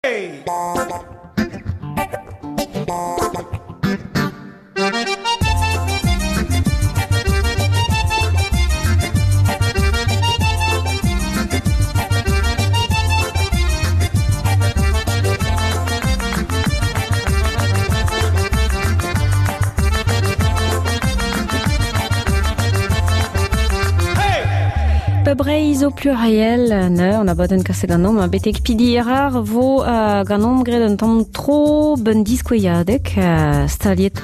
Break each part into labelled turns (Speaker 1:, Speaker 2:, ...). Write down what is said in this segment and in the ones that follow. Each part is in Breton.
Speaker 1: Hey!
Speaker 2: Ba Breizh zo pluriel ne an abadenn kaset ganeomp betek pidi rar vo uh, ganeomp graet un tamm tro ben diskouezadeg uh, staliet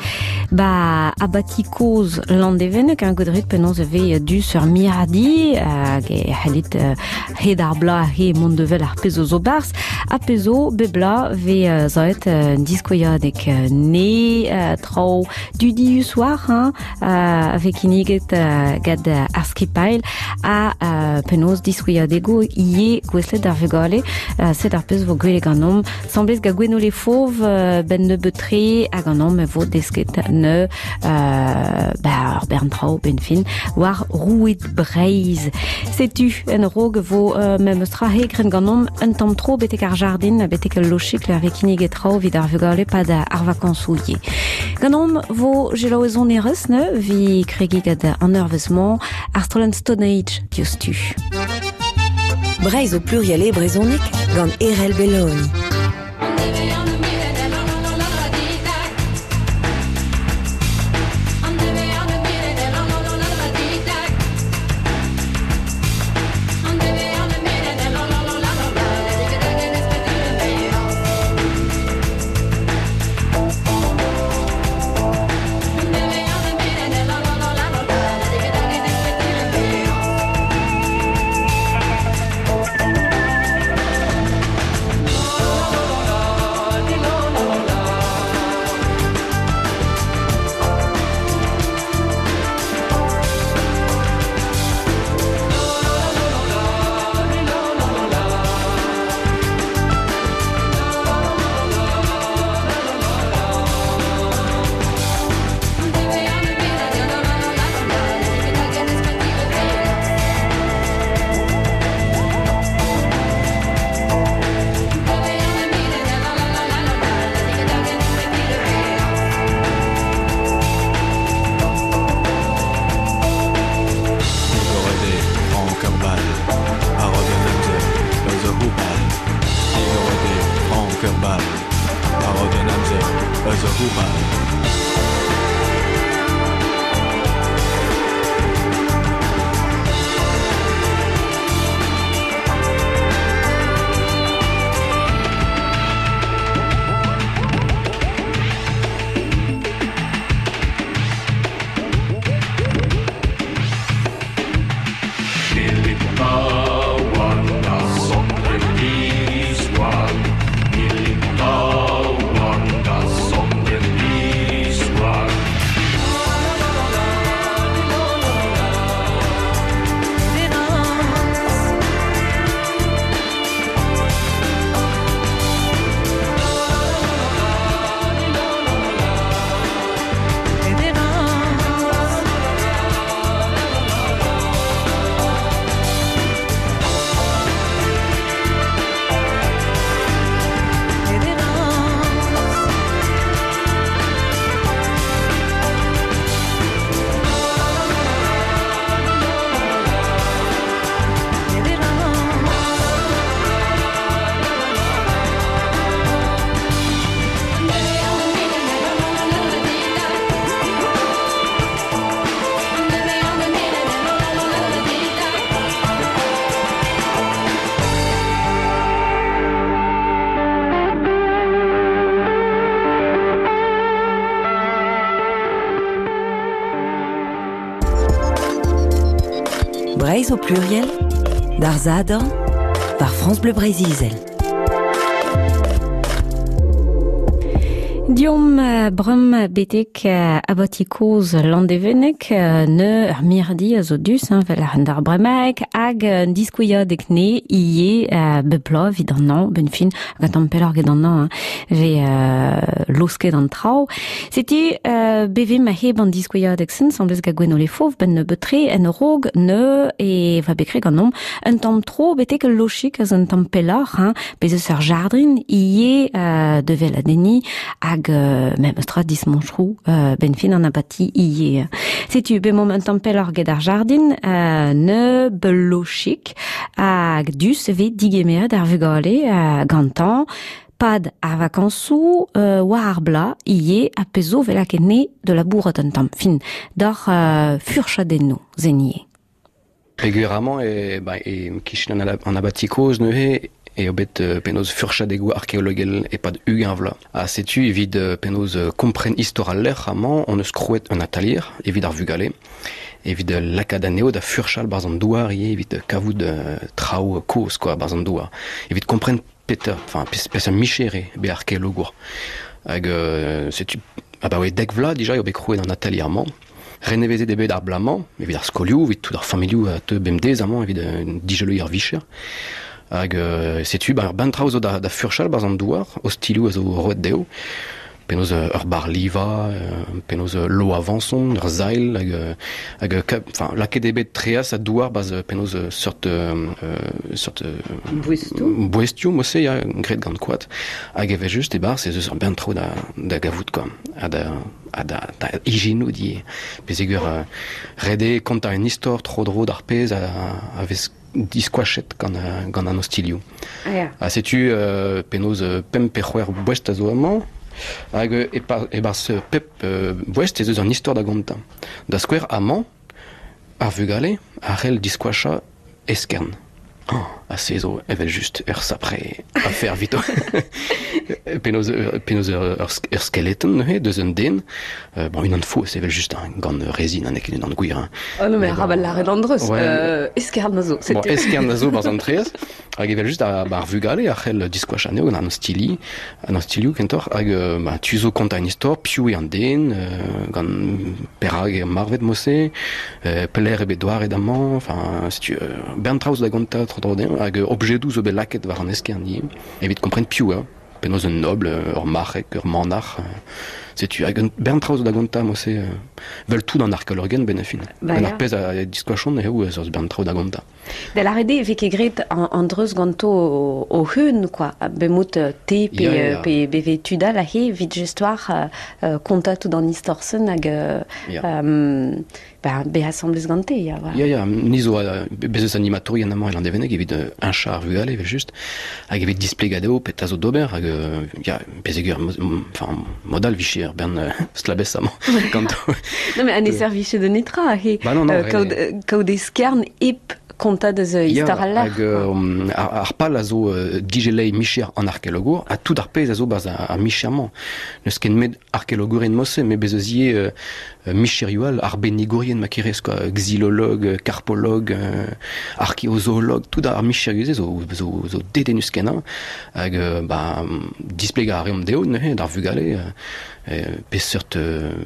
Speaker 2: ba abati kozh Landevenneg un godret penaos e vez du sur miradi hag e c'hellit uh, hed ar bla he mont devel ar pezh zo barzh ha pezh zo bep bla vez zaet un diskouezadeg ne traoù dudius war hein, a vez kinniget gant ar skipailh ha penaos diskouezadego ivez gouestlet d'ar vugale. Sed ar pezh vo gwelet ganeomp. Semblez gant Gwenole Fauve ben nebeut-tre hag an e vo desket ne ba ur bern traoù ben fin war roued Breizh. Setu en rog vo memes tra hegren ganeomp un tamm tro betek ar jardin betek ul lochik ar vez kinniget traoù evit ar vugale pad ar vakañsoù ivez. Ganeomp vo selaou sonerezh ne vi kregi gant an eurvezh-mañ ar strollad Stone Age diouzhtu.
Speaker 3: Breizh o pluriel e brezhoneg gant Erell Belloni. Breizh au pluriel, d'ar Sadorn, par France Bleu Breizh-Izel.
Speaker 2: Diomp brum betek abati kozh Landevenneg ne ur mirdi a zo dus hein, vel ar d'ar bremaek hag un diskouiadeg ne ie bep bloaz evit an hañv ben fin hag an tamm pelloc'h get an hañv hein, vez losket an traoù. Setu beve ma heb an diskouiadeg-sen semblez gant Gwenole Fauve ben nebeut-tre en raog ne e va bet graet ganeomp un tamm tro betek ul lochik eus un tamm pelloc'h hein, bez eus ur jardrin ivez de veladenniñ hag memes tra dismantroù benn fin an abati ivez. Setu bemomp un tamm pelloc'h get ar jardin ne belochik hag dus vez digemeret ar vugale gantañ pad ar vakañsoù war ar bloaz ivez ha pezh zo 'vel lakaet ne da labourat un tamm fin doc'h furchadennoù zen ivez.
Speaker 1: Peogwir amañ e, ba, e kichen an abati kozh neuze eo bet penaos furchadegoù arkeologel e-pad 20 vloaz. Ha setu evit penaos kompren istor al lec'h amañ hon eus krouet un atalier evit ar vugale, evit lakaat anezho da furchal 'barzh an douar ivez, evit kavout traoù kozh quoi 'barzh an douar, evit kompren petra, enfin peseurt micher eo bet arkeologour. Hag setu abaoe dek vloaz dija eo bet krouet an atalier-mañ. Renevezet eo bet ar bloaz-mañ evit ar skolioù, evit tout ar familhoù a teu bemdez amañ evit digeloiñ ar vicher. Hag setu ba, ur bern traoù zo da, da furchal 'barzh an douar, ostilhoù a zo roet dezho. Penaos ur barr-livañ, penaos lo avañson, ur sailh hag hag enfin lakaet eo bet treaz ha douar 'barzh penaos seurt seurt
Speaker 2: Boestoù.
Speaker 1: boestioù mod-se ya, graet gant koad. Hag evel-just e-barzh ez eus ur bern traoù da, da gavout quoi. Ha da ha da, da ijinout ivez. Pezegur uh, ret eo kontañ un istor tro-dro d'ar pezh a, a vez diskoachet gant, gant an ostilhoù.
Speaker 2: Ah, ya.
Speaker 1: Ha setu uh, penaos pemp pe c'hwec'h boest a zo amañ, hag e-barzh pep boest ez eus un istor da gontañ. Da skouer amañ, ar vugale a c'hell diskoachañ eskern. Oh, ha se zo evel-just ur sapre afer evito. Penaos, penaos ur, ur skeleton neuze deus un den. Bon, unan faos evel-just, hein, gant rezin, ha n'eo ket unan gwir. Hein.
Speaker 2: Oh non, mais arabat lâret an dreuz.
Speaker 1: Ouais.
Speaker 2: Eskern a zo.
Speaker 1: Bon, eskern a zo barzh an traezh. Hag evel-just ar, ar vugale a c'hell diskoach anezho gant an ostilli, an ostilhoù kentoc'h, hag bah, tu zo kontañ un istor, piv eo an den, gant perak eo marvet mod-se, pelec'h eo bet douaret amañ, enfin, setu bern traoù zo da gontañ tro-dro dezhañ, hag objedoù zo bet lakaet war an eskern ivez, evit kompren piv eo. Penaos un nobl, ur marc'heg, ur manac'h. Setu, hag un bern traoù zo da gontañ, mod-se. Vel tout an arkeologenn benn ar fin.
Speaker 2: Bah,
Speaker 1: Gant ar pezh a diskoachont eo ez eus bern traoù da gontañ.
Speaker 2: Da lâret eo e vez ket graet an dreuz ganto o-hun, quoi. Bemout te pe,
Speaker 1: Ya, ya.
Speaker 2: pe beve tud all aze evit just war kontañ tout an istor-sen hag
Speaker 1: Ya.
Speaker 2: ba, bezañ asambles gante, ya, voilà.
Speaker 1: Ya, ya, ni zo bez eus animatourien amañ e Landevenneg evit heñchañ ar vugale evel-just, hag evit displegañ dezho petra zo d'ober, hag ya, pezegur, enfin, mod all 'vije ur bern stlabez amañ ganto.
Speaker 2: Non, mais an e servije de netra, he,
Speaker 1: Bah non, non,
Speaker 2: kaout, kaout eskern hep kontañ deus istor al lec'h.
Speaker 1: Hag ar pal a zo digeleiñ micher an arkeologour, ha tout ar pezh a zo 'barzh ar micher-mañ. N'eus ket met arkeologourien mod-se, met bez eus ivez micherioù all, arbennigourien ma kerez, quoi, xylologue, carpologue, archéozoologue, tout ar micherioù-se zo, zo, zo dedennus-kenañ. Hag bah, displegañ a reomp dezho neuze d'ar vugale peseurt,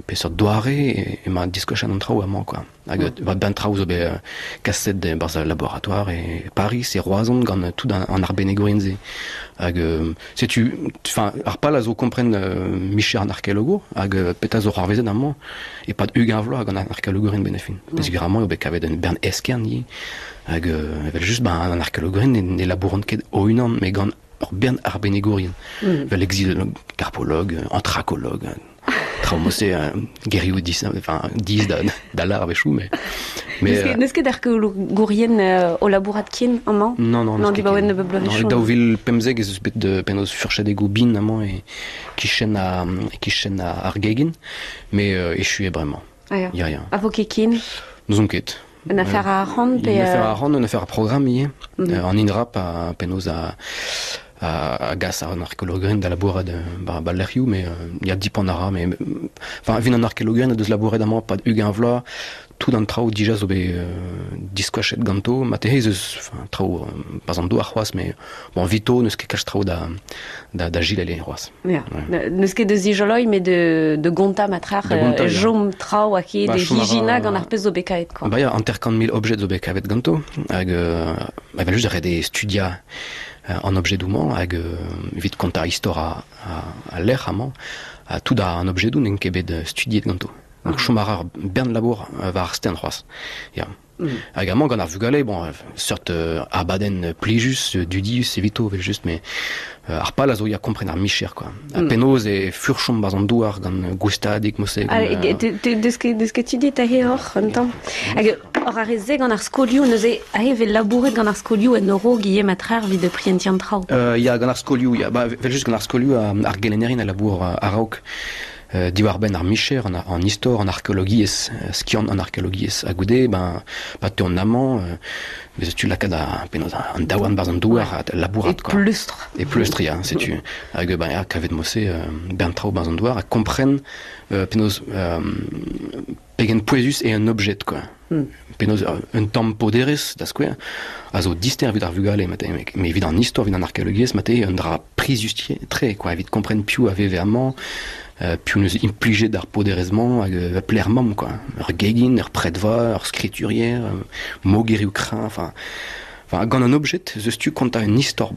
Speaker 1: peseurt doare emañ diskoachet an traoù amañ, quoi. Hag mm. ben traoù zo bet kaset barzh al laboratoire e Paris, e Roazhon gant tout an arbennigourien-se. Hag setu, enfin, ar pal a zo kompren micher an arkeologour hag petra zo c'hoarvezet amañ e-pad 20 vloaz gant an arkeologourien benn ar fin. Peogwir amañ eo bet kavet un bern eskern ivez. Hag evel-just, ben, an arkeologourien ne labouront ket o-unan, met gant ur bern arbennigourien. Vel exilologue, carpologue, anthracologue, traoù mod-se gerioù dis, enfin, diz da, da lar a-wechoù, mais...
Speaker 2: mais N'eus ket arkeologourien o labourat ken amañ?
Speaker 1: Non, non,
Speaker 2: non, dibaoe nebeut bloavezhioù.
Speaker 1: Non, 2015 ez eus bet penaos furchadegoù bin amañ e kichen a, kichen ar gegin, mais echu eo bremañ.
Speaker 2: Ah, ya.
Speaker 1: Ya, ya.
Speaker 2: A vo ket ken?
Speaker 1: N'ouzon ket.
Speaker 2: Un affaire a arc'hant pe...
Speaker 1: Une affaire a arc'hant, un affaire a programme ivez. An INRAP a penaos a a gas an arkeologerien da labourat ba lec'hioù, mais ya dipant a ra, mais enfin, evit an arkeologerien a deus labouret amañ pad 20 vloaz, tout an traoù dija zo bet diskoachet ganto, marteze ez eus enfin, traoù pas an douar c'hoazh, mais bon, vito n'eus ket kalz traoù da, da, da gilele c'hoazh.
Speaker 2: Ya. N'eus ket de zijoloi, met de gontañ matrac'h, jom traoù a ket, de hijina gant ar pezh zo bet kavet, quoi.
Speaker 1: Ba ya, 50 000 objet zo bet kavet ganto, hag evel just ret eo studiañ an objedoù-mañ, hag evit kontañ istor a lec'h amañ, ha tout an objedoù n'int ket bet studiet ganto. Donc chom a ra ur bern labour war ar stern c'hoazh. Ya. Hag amañ gant ar vugale, bon, seurt abadenn plijus, dudius evito evel-just, mais ar pal a zo ya kompren ar micher, quoi. Ha penaos e furchomp barzh an douar gant goustadik mose.
Speaker 2: Ah, deus ket tu dit aze oc'h un tamm. Hag oc'h ar re-se gant ar skolioù, neuze aze vez labouret gant ar skolioù en Euro Guillaume Matrer evit prientiñ an traoù.
Speaker 1: Ya, gant ar skolioù, ya. Ba, evel-just gant ar skolioù, ar gelennerien a labour a-raok diwar-benn ar micher, an istor, an arkeologiezh, skiant an arkeologiezh. Ha goude, ben, pa teuont amañ, bez tu lakaat ar, penaos, an daouarn barzh an douar ha labourat,
Speaker 2: quoi. E pleustr.
Speaker 1: E pleustr, ya, setu. Hag ben, ya, kavet mo-se bern traoù barzh an douar ha kompren penaos pegen pouezus eo un objet, quoi. Penaos un tamm poderezh, da skouer, a zo dister evit ar vugale, mate, met evit an istor, evit an arkeologiezh, mate, un dra prizius-tre, quoi, evit kompren piv a veve amañ, piv neus implijet ar poderezh-mañ hag pelec'h mamm, quoi. Ur gegin, ur predva, ur skriturier, mogerioù kreñv, enfin... Enfin, gant an objet, ez eus tu kontañ un istor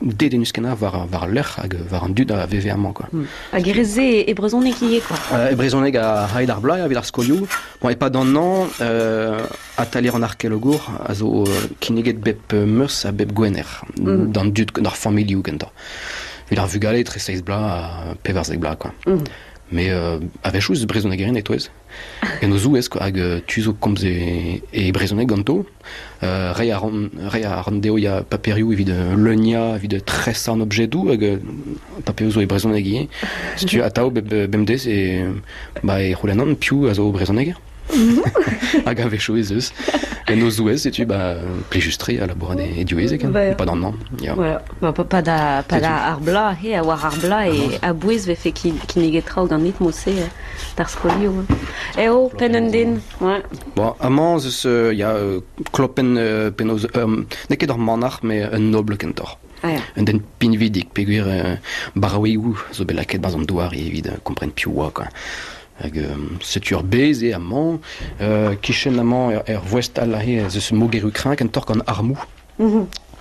Speaker 1: dedennus-kenañ war, war al lec'h hag war an dud a veve amañ, quoi.
Speaker 2: Hag e rez-se e brezhoneg ivez, quoi.
Speaker 1: E brezhoneg a-hed ar bloaz, evit ar skolioù. Bon, e-pad an hañv, atalier an arkeologour a zo kinniget bep meurzh ha bep gwener d'an dud, d'ar familhoù gentañ. Evit ar vugale etre seizh bloaz ha 14 bloaz, quoi. Mais a-wechoù eus brezhonegerien e-touez. En o zouez, quoi, hag tu zo komz e, e brezhoneg ganto. Reiñ a ran, reiñ a ran dezho ya paperioù evit leuniañ, evit tresañ an objedoù, hag paperioù zo e brezhoneg ivez. Setu atav bep bemdez e, ba, e c'houlennan piv a zo brezhoneger. Hag a-wechoù ez eus. En o zouez, setu, ba, plijus-tre a labourat e, e diwezhek, hein, pad an hañv. Ya.
Speaker 2: Voilà. Ba, pa da, pa da ar bloaz, he, a war ar bloaz, e a-bouez vefe kinniget traoù ganit mod-se d'ar skolioù. Eo, penn un den, ouais.
Speaker 1: Bon, amañ ez eus, ya, klopenn penaos, n'eo ket ur manac'h, met un nobl kentoc'h.
Speaker 2: Ah, ya.
Speaker 1: Un den pinvidik, peogwir baraouegoù zo bet lakaet barzh an douar evit kompren piv oa, quoi. Hag setu ur bez eo amañ. Kichen amañ er voest all aze ez eus mogerioù kreñv kentoc'h gant armoù.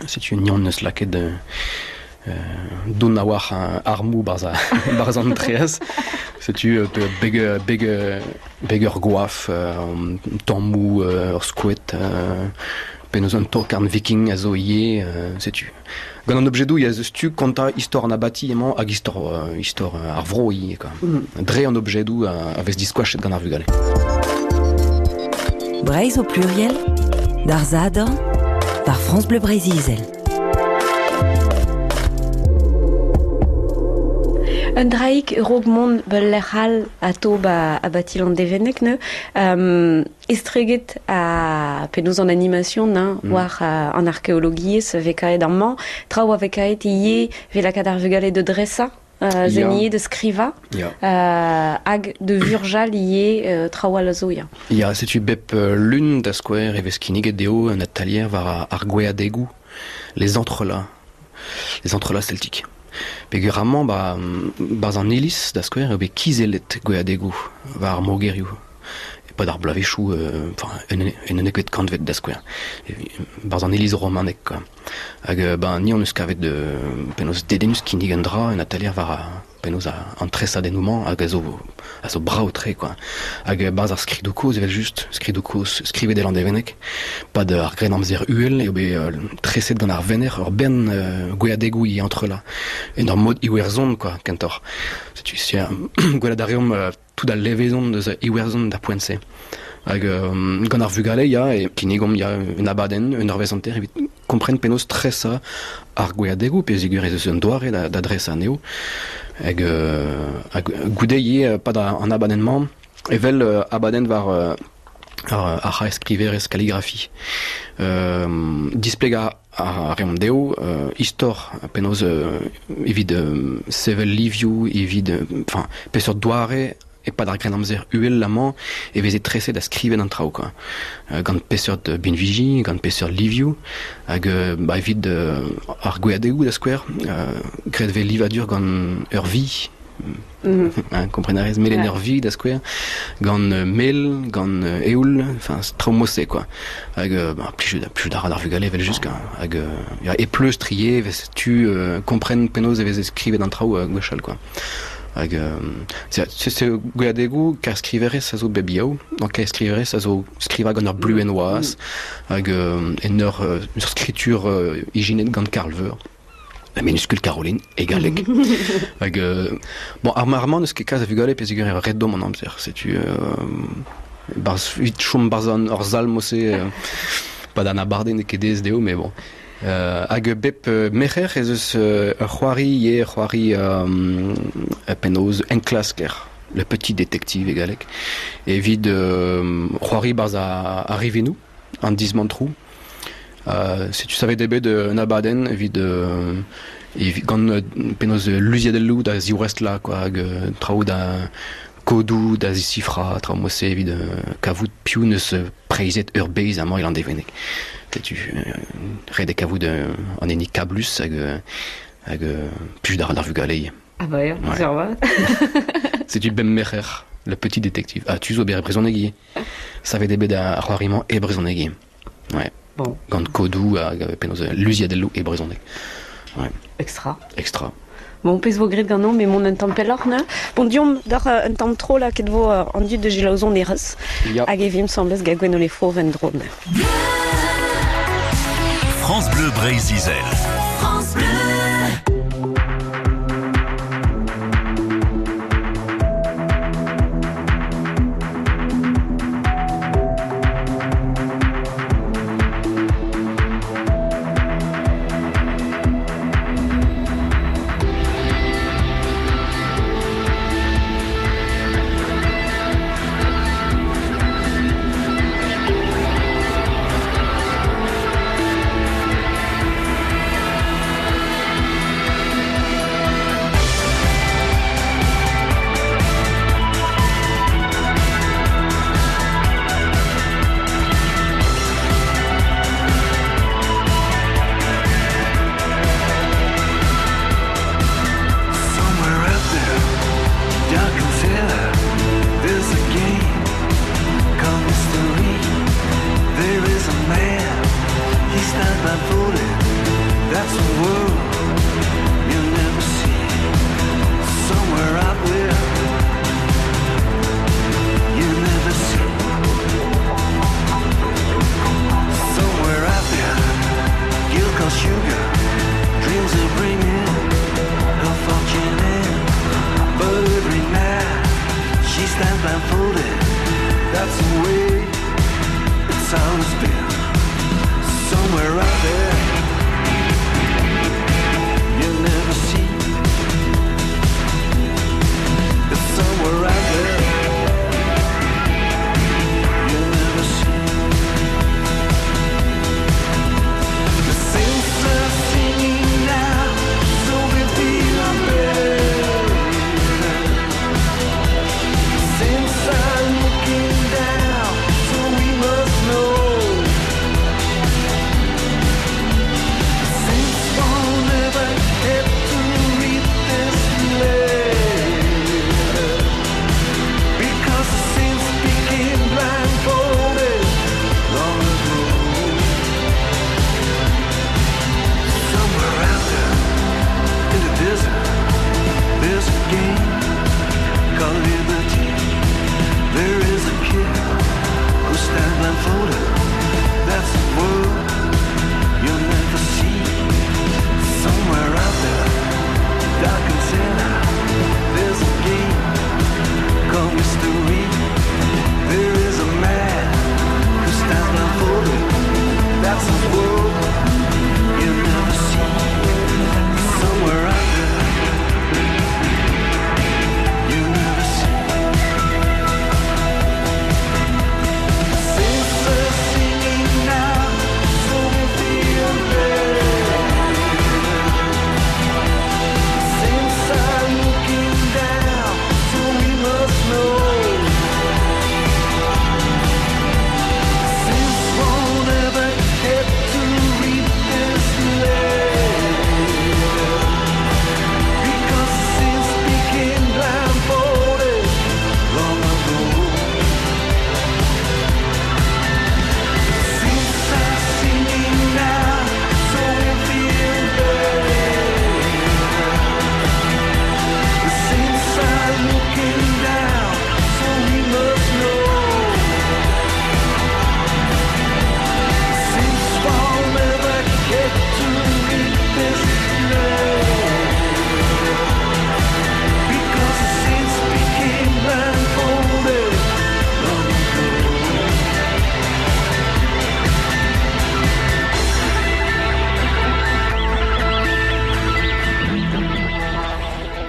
Speaker 1: Setu ni hon eus lakaet dont a-walc'h armoù barzh an traezh. Setu beg, beg, beg ur goaf, tammoù, ur skoed, penaos un tokarn viking a zo ivez, setu. Gant an objedoù ez eus tu kontañ istor an abati emañ hag istor, istor ar vro ivez, quoi. Dre an objedoù a vez diskoachet gant ar vugale.
Speaker 3: Breizh au pluriel, d'ar Sadorn, par France Bleu Breizh-Izel.
Speaker 2: Un draig raok mont bul lec'h all atao ba abati Landevenneg neu. Estreget ha penaos an animation hein, war an arkeologiezh vez kaet amañ, traoù a vez kaet ivez vez lakaat ar vugale da dresañ, zen da skrivañ, hag da vurjal ivez traoù all a zo, ya.
Speaker 1: Ya, setu bep lun da skouer e vez kinniget dezho un atalier war ar gweadegoù, les entrelacs, les entrelacs celtiques. Peogwir amañ, ba, barzh an iliz, da skouer, eo bet kizellet gweadegoù war ar mogerioù. E-pad ar bloavezhioù, enfin, en unnekvet kantved da skouer, barzh an iliz romanek, quoi. Hag ben, ni hon eus kavet penaos dedennus kinnig un dra, un atalier war penaos an tresadennoù-mañ hag a zo brav-tre, quoi. Hag barzh ar skridoù kozh evel-just, skridoù kozh skrivet e Landevenneg, pad ar Grennamzer uhel eo bet treset gant ar venec'h ur bern gweadegoù ivez entrelac, en ur mod Iwerzhon, quoi, kentoc'h. Setu, gwelet a reomp tout al levezon eus Iwerzhon d'ar poent-se. Hag gant ar vugale, ya, e kinnigomp ya, un abadenn, un eurvezh hanter evit kompren penaos tresañ ar gweadegoù, peogwir ez eus un doare da, da dresañ anezho. Hag, hag goude ivez, pad an abadenn-mañ, evel abadenn war ar c'haerskriverezh calligraphie. Displegañ a reomp dezho istor penaos evit sevel livioù, evit enfin peseurt doare e-pad ar Grennamzer uhel amañ e veze treset ha skrivet an traoù quoi. Gant peseurt binviji, gant peseurt livioù hag ba evit ar gweadegoù da skouer, graet vez livadur gant ur vi. Hein, kompren a rez, melen ur vi da skouer, gant mel, gant eoul, enfin traoù mod-se quoi. Hag bah, plijout a ra d'ar vugale evel-just quoi. Hag ya, e pleustr ivez e vez tu kompren penaos e veze skrivet an traoù gwechall quoi. Hag se gweadegoù kaerskriverez a zo bep yaou. Donc kaerskriverez a zo skrivañ gant ur bluenn waz hag en ur skritur ijinet gant Karl Veur. La minuscule Caroline e galleg. Hag bon, ar mar-mañ n'eus ket kalz a vugale peogwir eo ret deomp an amzer. Setu barzh evit chom barzh an ur sal mod-se pad an abardaez n'eo ket aes dezho, mais bon. Hag bep merc'her ez eus ur c'hoari ivez, c'hoari penaos enklasker, le petit détective e galleg, evit c'hoari 'barzh ar rivinoù, an dismantroù. Setu savet eo bet un abadenn evit gant penaos luziadelloù da ziwrestlañ quoi, hag traoù da kodoù da zisifrañ, traoù mod-se evit kavout piv 'neus preizhet ur bez amañ e Landevenneg. Setu ret eo kavout an hini kablus hag hag plijout a ra d'ar vugale ivez.
Speaker 2: Ah bah ya,
Speaker 1: Ouais.
Speaker 2: sur vat.
Speaker 1: Setu bemp merc'her, le petit détective. Ah, tu zo bet e brezhoneg ivez. Savet eo bet ar c'hoari-mañ e brezhoneg ivez. Ouais.
Speaker 2: Bon.
Speaker 1: Gant kodoù hag penaos luziadelloù e brezhoneg. Ouais.
Speaker 2: Extra.
Speaker 1: Extra.
Speaker 2: Bon, pezh vo graet ganeomp emaon un tamm pelloc'h neuze. Bon, deomp d'oc'h un tamm tro lakaet vo an dud da selaou erez.
Speaker 1: Ya.
Speaker 2: Hag e vimp 'sembles gant Gwenole Fauve en-dro neuze.
Speaker 4: France Bleu Breizh-Izel.
Speaker 3: France Bleu.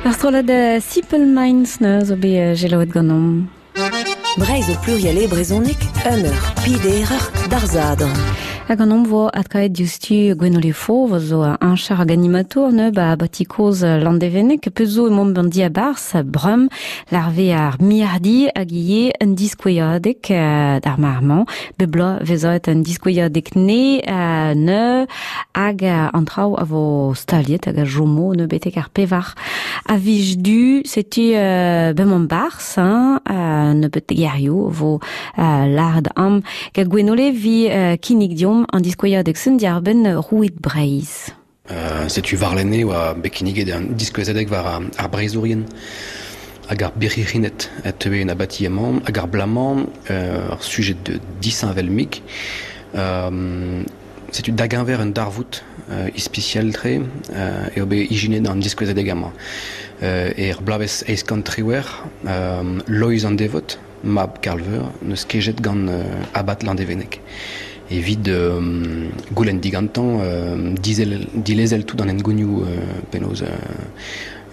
Speaker 2: Ar strollad Simple Minds neuze zo bet selaouet ganeomp.
Speaker 3: Breizh o pluriel e brezhoneg, un eur, pider eur, d'ar Sadorn.
Speaker 2: Hag an omp vo adkaet diouzhtu Gwenole Fauve zo un char hag animatour ne ba abati kozh Landevenneg peus zo emaomp an diabarzh brum larve ar mirdi hag ivez un diskouezadeg d'ar mar-mañ bep bloaz vezaet un diskouezadeg ne ne hag an traoù a vo staliet hag a chomo ne betek ar pevar a viz du setu bemañ barzh hein nebeut gerioù vo lâret am gant Gwenole vi kinnig deomp an diskouezadeg sen diàr-benn roued Breizh.
Speaker 1: Setu warlene oa bet kinniget an diskouezadeg war ar breizhourien hag ar birc'hirined a teue en abati amañ hag ar bloaz-mañ ur sujet disheñvel-mik. Setu da geñver un darvoud ispisial-tre eo bet ijinet an diskouezadeg amañ. Er bloavezh 818, Loeiz an Devot, mab Karl-Veur, n'eus kejet gant abad Landevenneg evit goulenn digantañ dilezel tout an hengounioù penaos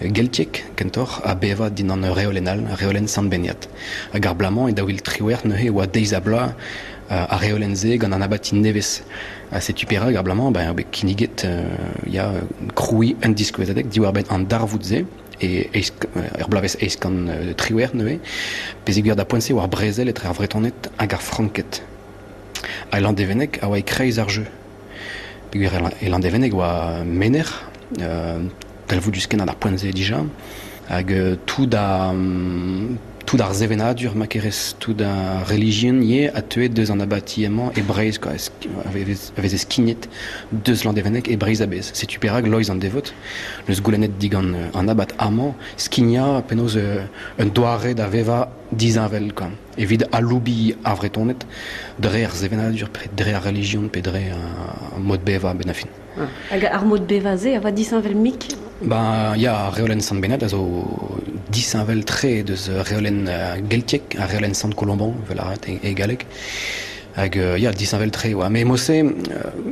Speaker 1: geltiek kentoc'h ha bevañ dindan ur reolenn all, reolenn Sant-Benead. Hag ar bloaz-mañ e 2018 neuze e oa deiz-ha-bloaz ar reolenn-se gant an abati nevez. Ha setu perak ar bloaz-mañ ben, eo bet kinniget ya, krouiñ un diskouezadeg diwar-benn an darvoud-se e er bloavezh 818 neuze, peogwir da poent-se oa ar brezel etre ar Vretoned hag ar Franked. Ha Landevenneg a oa e-kreiz ar jeu. Peogwir e Landevenneg oa menec'h, talvoudus-kenañ d'ar poent-se dija, hag tout a tout ar sevenadur ma kerez, tout ar relijion ivez a teue deus an abati emañ e Breizh quoi, a veze skignet deus Landevenneg e Breizh a-bezh. Setu perak Loeiz an Devot n'eus goulennet digant an abad amañ skignañ penaos un doare da vevañ disheñvel quoi, evit aloubiñ ar Vretoned dre ar sevenadur, dre ar relijion pe dre ar mod bevañ a-benn ar fin.
Speaker 2: Hag ar mod bevañ-se a oa disheñvel-mik?
Speaker 1: Ben ya, ar reolenn Sant-Benad a zo disheñvel-tre deus reolenn geltiek, ar reolenn Sant-Colomban, evel a ret e galleg. Hag ya, disheñvel-tre oa. Mais mod-se,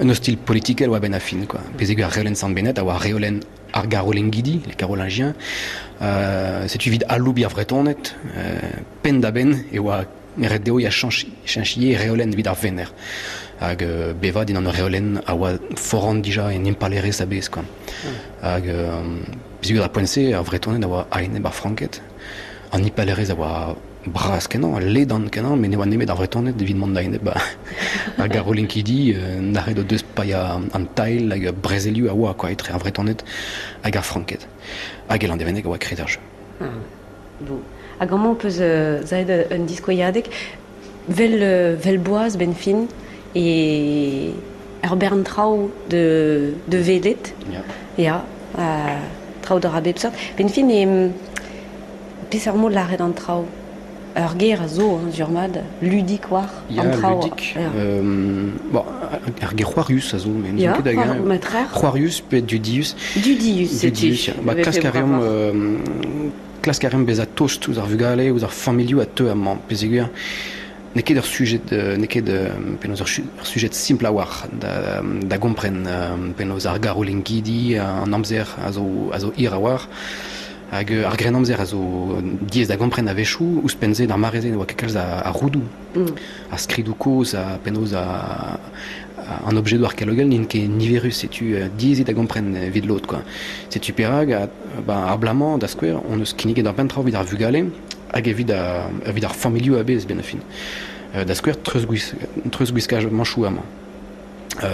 Speaker 1: un ostilh politikel oa a-benn ar fin, quoi. Peogwir ar reolenn Sant-Benad a oa reolenn ar Garolingidi, les Carolingiens. Setu evit aloubiñ ar Vretoned, penn-da-benn e oa ret dezho ya cheñch ivez reolenn evit ar venec'h. Hag bevañ dindan ur reolenn a oa foran dija en impalaerezh a-bezh quoi. Hag peogwir d'ar poent-se ar Vretoned a oa a-enep ar Franked. An impalaerezh a oa bras-kenañ, ledan-kenañ, met ne oa nemet ar Vretoned evit mont a-enep ar Garolinkidi nac'het o deus paeañ an tailh hag brezelioù a oa quoi, etre ar Vretoned hag ar Franked. Hag e Landevenneg a oa kred ar jeu.
Speaker 2: Bon. Hag amañ peus zaet un diskouezadeg vel, vel boaz benn fin e ur bern traoù de, de welet.
Speaker 1: Ya.
Speaker 2: Ya, traoù da ra bep seurt. Benn fin e peseurt mod lâret an traoù? Ur ger a zo, hein, sur-mat, ludik war
Speaker 1: Ya,
Speaker 2: an traoù.
Speaker 1: ludik.
Speaker 2: Ya.
Speaker 1: Bon, ar ger c'hoarius a zo, mais n'ouzon
Speaker 2: Ya,
Speaker 1: ket hag-eñ.
Speaker 2: matrer.
Speaker 1: C'hoarius pe dudius.
Speaker 2: Dudius, setu.
Speaker 1: Dudius, ya. Ba, klask a reomp, klask a reomp bezañ tost ouzh ar vugale, ouzh ar familhoù a teu amañ, peogwir n'eo ket ur sujet, n'eo ket penaos ur sujet simpl a-walc'h da, da gompren penaos ar garolingidi, an amzer a zo, a zo hir a-walc'h. Hag ar grennamzer a zo diaes da gompren a-wechoù, ouzhpenn-se d'ar mare-se ne oa ket kalz a roudoù. Ar skridoù kozh ha penaos an objedoù arkeologel n'int ket niverus, setu diaes eo da gompren evit lod quoi. Setu perak ba, ar bloaz-mañ da skouer hon eus kinniget ur bern traoù evit ar vugale hag evit ar, evit ar familhoù a-bezh benn ar fin. Da skouer treuzgwiskaj mañchoù amañ.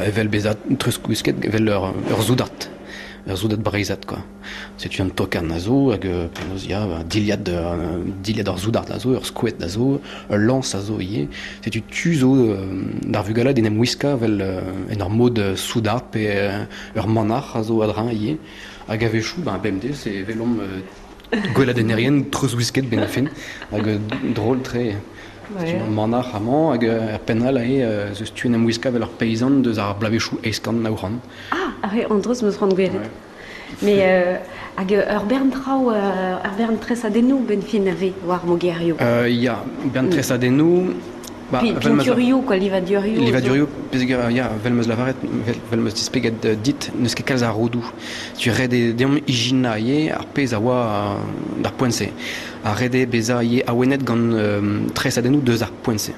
Speaker 1: Evel bezañ treuzgwisket evel ur, ur soudard, ur soudard breizhat quoi. Setu an tokarn a zo hag penaos ya dilhad dilhad ar soudard a zo, ur skoed a zo, ul lañs a zo ivez. Setu tu zo d'ar vugale d'en em wiskañ evel en ur mod soudard pe ur manac'h a zo a-dreñv ivez. Hag a-wechoù, ben, bemdez e welomp gweladennerien treuzwisket benn ar fin hag drol-tre. Setu ur manac'h amañ hag er penn all aze ez eus tu en em wiskañ evel ur peizant deus ar bloavezhioù 1900.
Speaker 2: Ah, ar an dreuz 'm eus c'hoant gwelet. Mais hag ur bern traoù, ur bern tresadennoù benn fin a vez war mogerioù.
Speaker 1: Ya, bern tresadennoù. Ba,
Speaker 2: Pinturioù, quoi, livadurioù.
Speaker 1: Livadurioù, peogwir, ya, 'vel 'm eus lavaret, 'vel 'm eus displeget dit, n'eus ket kalz a roudoù. Tu ret eo deomp ijinañ ivez ar pezh a oa d'ar poent-se. Ha ret eo bezañ ivez awenet gant tresadennoù deus ar poent-se.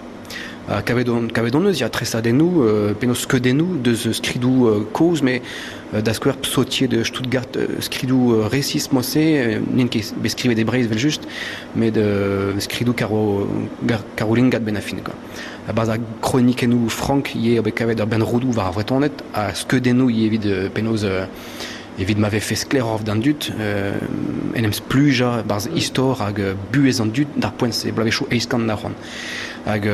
Speaker 1: Kavet on, kavet on eus ya tresadennoù, penaos skeudennoù deus skridoù kozh, met da skouer Psautier de Stuttgart, skridoù resis mod-se, n'int ket bet skrivet e Breizh evel-just, met skridoù karo, karolingat benn ar fin quoi. A-barzh ar kronikennoù frank ivez eo bet kavet ur bern roudoù war ar Vretoned ha skeudennoù ivez evit penaos evit ma vefe sklaeroc'h d'an dud en em splujañ barzh istor hag buhez an dud d'ar poent-se, bloavezhioù 1890. Hag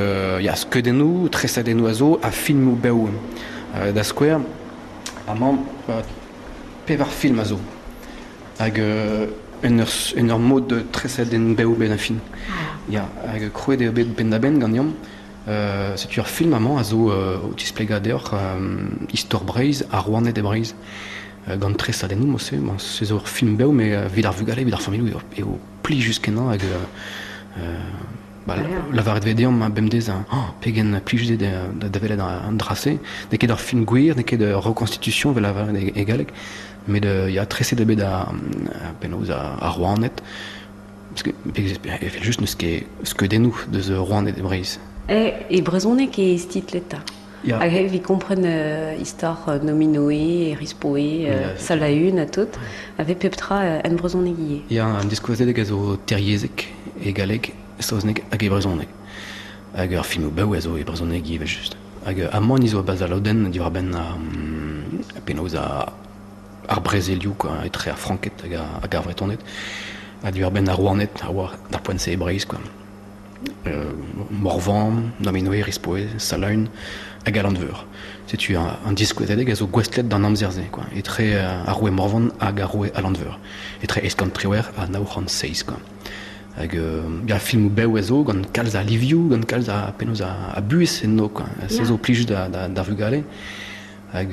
Speaker 1: ya, skeudennoù, tresadennoù a zo ha filmoù bev. Da skouer, amañ pevar film a zo. Hag en ur mod tresadenn bev benn ar fin. Ya, hag krouet eo bet penn-da-benn ganeomp. Setu ur film amañ a zo o tisplegañ deoc'h istor Breizh, ar rouaned e Breizh. Gant tresadennoù mod-se, bon, se zo ur film bev, met evit ar vugale, evit ar familhoù eo plijus-kenañ hag ba, lavaret vez deomp bemdez oh, pegen plijus eo da welet an dra-se. N'eo ket ur film gwir, n'eo ket ur reconstitution evel lavaret e galleg, met ya, treset eo bet penaos ar rouaned. Parce que evel-just n'eus ket skeudennoù deus rouaned e Breizh.
Speaker 2: E brezhoneg eo titlet
Speaker 1: Ya.
Speaker 2: Hag evit kompren istor Nominoe, Erispoe, Salaün ha tout, a vez pep tra en brezhoneg ivez.
Speaker 1: Ya, an diskouezadeg a zo teryezhek e galleg, saozneg hag e brezhoneg. Hag ar filmoù bev a zo e brezhoneg ivez just. Hag amañ ni zo a-barzh al lodenn diwar-benn penaos ar brezelioù quoi, etre ar Franked hag ar Vretoned, ha diwar-benn ar rouaned a oa d'ar poent-se e Breizh quoi. Morvan, Nominoe, Rispoe, Salaün hag Alan-Veur. Setu an diskouezadeg a zo gouestlet d'an amzer-se, quoi, etre ar roue Morvan hag ar roue Alan-Veur, etre 818 ha 907. Quoi. Hag ya, filmoù bev a zo, gant kalz a livioù, gant kalz a penaos a buhez enno, quoi. Se zo plijus d'ar vugale. Hag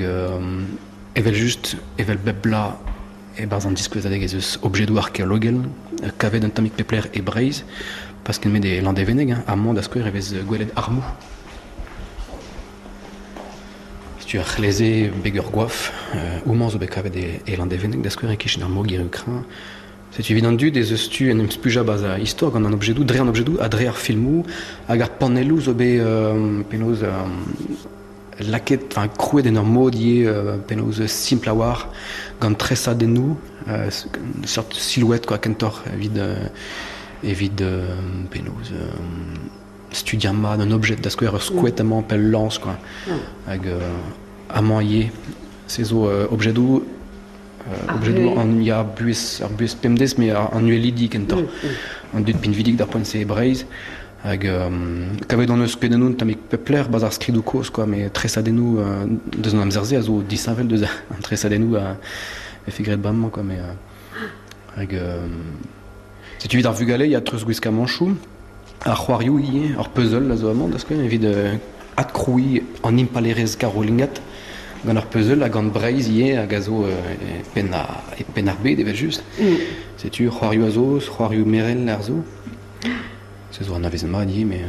Speaker 1: evel-just, evel bep bloaz, e-barzh an diskouezadeg ez eus objedoù arkeologel kavet un tammig pep lec'h e Breizh, pas ken met e Landevenneg, hein. Amañ da skouer e vez gwelet armoù. Setu ar c'hleze beg ur goaf. Homañ zo bet kavet e Landevenneg da skouer e-kichen ar mogerioù kreñv. Setu evit an dud ez eus tu en em splujañ 'barzh ar istor gant an objedoù, dre an objedoù ha dre ar filmoù hag ar panelloù zo bet penaos lakaet, enfin krouet en ur mod ivez penaos simpl a-walc'h gant tresadennoù, seurt silhouette quoi kentoc'h evit evit penaos studiañ mat un objet da skouer ur skoed amañ pe ul lañs quoi. Hag amañ ivez se zo objedoù objedoù an ya buhez ar buhez pemdez met an uhelidi kentoc'h. An dud pinvidik d'ar poent-se e Breizh. Hag kavet hon eus pedennoù un tammig pep lec'h 'barzh ar skridoù kozh quoi, met tresadennoù deus an amzer-se a zo disheñvel deus an tresadennoù a vefe graet bremañ quoi, mais hag setu evit ar vugale ya treuzgwiskamanchoù, ar c'hoarioù ivez, ur puzzle a zo amañ da skouer evit adkrouiñ an impalaerezh karolingat gant ur puzzle ha gant Breizh ivez hag a zo e penn e penn ar bed evel-just. Setu c'hoarioù a zo, c'hoarioù merel a zo. Se zo anavezet mat ivez, mais...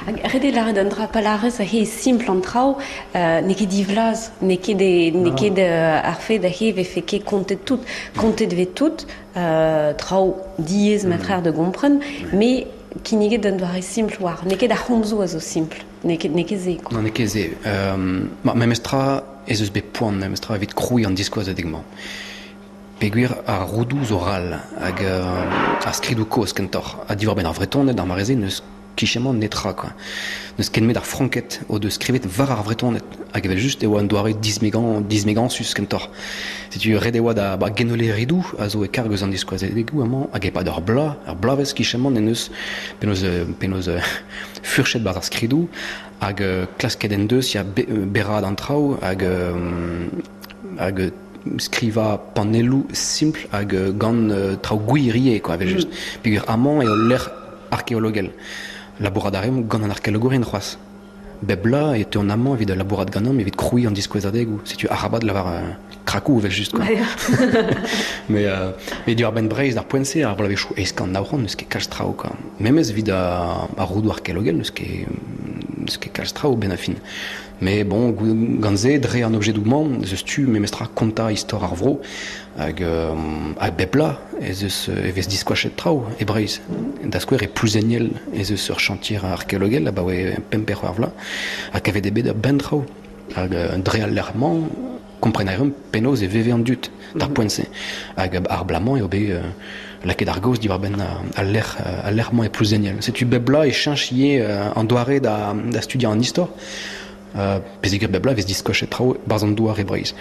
Speaker 2: Hag ret eo lâret un dra, pa lârez he simpl an traoù, n'eo ket divlaz, n'eo ket n'eo ket ar fed he vefe ket kontet tout. Kontet vez tout, traoù diaes ma da gompren, mais kinniget d'un doare simpl war. N'eo ket ar c'homzoù a zo simpl, n'eo ket, n'eo ket se.
Speaker 1: Non, n'eo ket se. Ma, memestra ez eus bet poan memestra evit krouiñ an diskouezadeg-mañ. Peogwir ar roudoù zo ral hag ar skridoù kozh kentoc'h. Ha diwar-benn ar Vretoned ar mare-se n'eus kichemañ netra quoi. N'eus ken met ar Franked o deus skrivet war ar Vretoned hag evel-just e oa un doare dismegañ dismegañsus kentoc'h. Setu ret e oa da ba Genole Ridoù a zo e karg eus an diskouezadegoù amañ hag e-pad ur bloaz, ur bloavezh kichemañ en deus penaos penaos furchet 'barzh ar skridoù hag klasket en deus ya berraat an traoù hag hag skrivañ panelloù simpl hag gant traoù gwir ivez quoi evel-just. Peogwir amañ eo ul lec'h arkeologel. Labourat a reomp gant an arkeologourien c'hoazh. Bep bloaz e teuont amañ evit labourat ganeomp evit krouiñ an diskouezadegoù. Setu arabat lavar krakoù evel just quoi. Mais mais diwar-benn Breizh d'ar poent-se ar bloavezhioù 1900 n'eus ket kalz traoù quoi. Memes evit ar roudoù arkeologel n'eus ket n'eus ket kalz traoù benn ar fin. Mais bon, gant se, dre an objedoù-mañ, ez eus tu memestra kontañ istor ar vro hag hag bep bloaz ez eus e vez diskoachet traoù e Breizh. Da skouer e Plouzeniel ez eus ur chantier arkeologel abaoe pemp pe c'hwec'h vloaz ha kavet eo bet ur bern traoù. Hag dre al lec'h-mañ, kompren a reomp penaos e veve an dud d'ar poent-se. Hag ar bloaz-mañ eo bet lakaet ar gaoz diwar-benn al lec'h al lec'h-mañ e Plouzeniel. Setu bep bloaz e cheñch ivez an doare da, da studiañ an istor. Pezegur bep bloaz e vez diskoachet traoù barzh an douar e Breizh.